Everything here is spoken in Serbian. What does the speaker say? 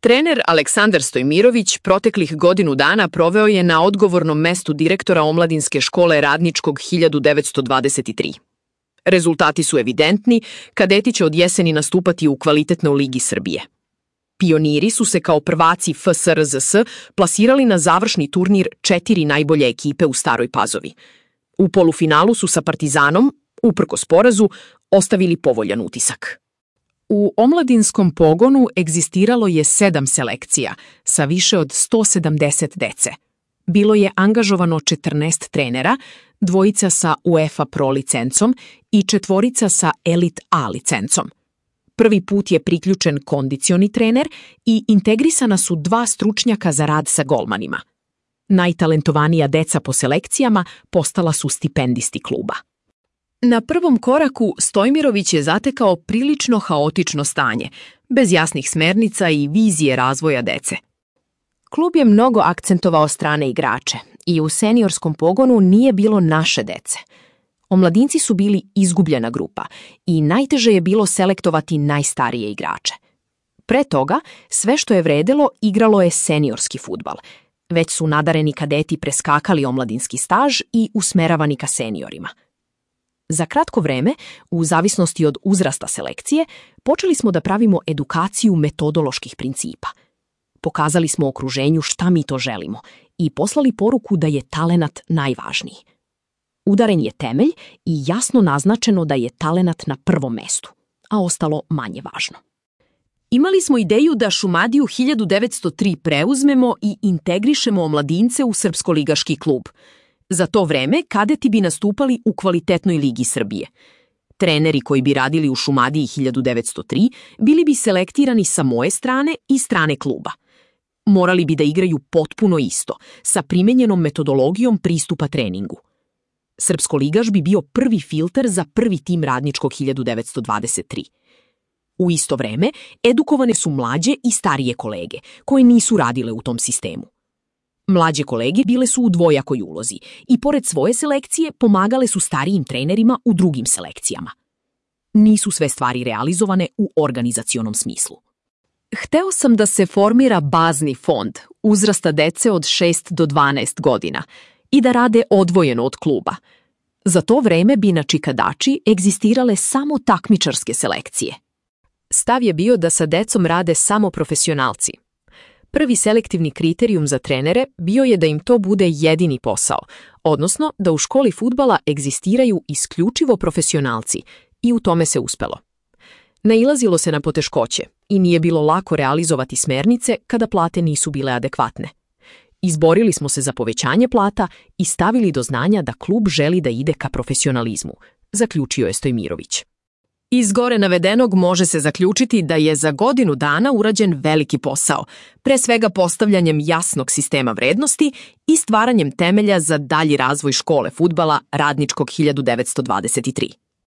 Trener Aleksandar Stojmirović proteklih godinu dana proveo je na odgovornom mestu direktora omladinske škole Radničkog 1923. Rezultati su evidentni, kadeti će od jeseni nastupati u kvalitetnoj ligi Srbije. Pioniri su se kao prvaci FSRZS plasirali na završni turnir 4 najbolje ekipe u Staroj Pazovi. U polufinalu su sa Partizanom, uprkos porazu, ostavili povoljan utisak. U omladinskom pogonu egzistiralo je 7 selekcija sa više od 170 dece. Bilo je angažovano 14 trenera, 2 sa UEFA Pro licencom i 4 sa Elite A licencom. Prvi put je priključen kondicioni trener i integrisana su 2 stručnjaka za rad sa golmanima. Najtalentovanija deca po selekcijama postala su stipendisti kluba. Na prvom koraku Stojmirović je zatekao prilično haotično stanje, bez jasnih smernica i vizije razvoja dece. Klub je mnogo akcentovao strane igrače i u seniorskom pogonu nije bilo naše dece. Omladinci su bili izgubljena grupa i najteže je bilo selektovati najstarije igrače. Pre toga, sve što je vredelo igralo je seniorski fudbal. Već su nadareni kadeti preskakali omladinski staž i usmeravani ka seniorima. Za kratko vreme, u zavisnosti od uzrasta selekcije, počeli smo da pravimo edukaciju metodoloških principa. Pokazali smo okruženju šta mi to želimo i poslali poruku da je talenat najvažniji. Udaren je temelj i jasno naznačeno da je talenat na prvom mestu, a ostalo manje važno. Imali smo ideju da Šumadiju 1903 preuzmemo i integrišemo omladince u srpsko-ligaški klub. Za to vreme kadeti bi nastupali u kvalitetnoj ligi Srbije. Treneri koji bi radili u Šumadiji 1903 bili bi selektirani sa moje strane i strane kluba. Morali bi da igraju potpuno isto, sa primenjenom metodologijom pristupa treningu. Srpsko-ligaš bi bio prvi filter za prvi tim Radničkog 1923. U isto vreme, edukovane su mlađe i starije kolege, koje nisu radile u tom sistemu. Mlađe kolege bile su u dvojakoj ulozi i pored svoje selekcije pomagale su starijim trenerima u drugim selekcijama. Nisu sve stvari realizovane u organizacionom smislu. Hteo sam da se formira bazni fond uzrasta dece od 6 do 12 godina i da rade odvojeno od kluba. Za to vreme bi na Čikadači egzistirale samo takmičarske selekcije. Stav je bio da sa decom rade samo profesionalci. Prvi selektivni kriterijum za trenere bio je da im to bude jedini posao, odnosno da u školi fudbala egzistiraju isključivo profesionalci i u tome se uspelo. Nailazilo se na poteškoće i nije bilo lako realizovati smernice kada plate nisu bile adekvatne. Izborili smo se za povećanje plata i stavili do znanja da klub želi da ide ka profesionalizmu, zaključio je Stojmirović. Iz gore navedenog može se zaključiti da je za godinu dana urađen veliki posao, pre svega postavljanjem jasnog sistema vrednosti i stvaranjem temelja za dalji razvoj škole fudbala Radničkog 1923.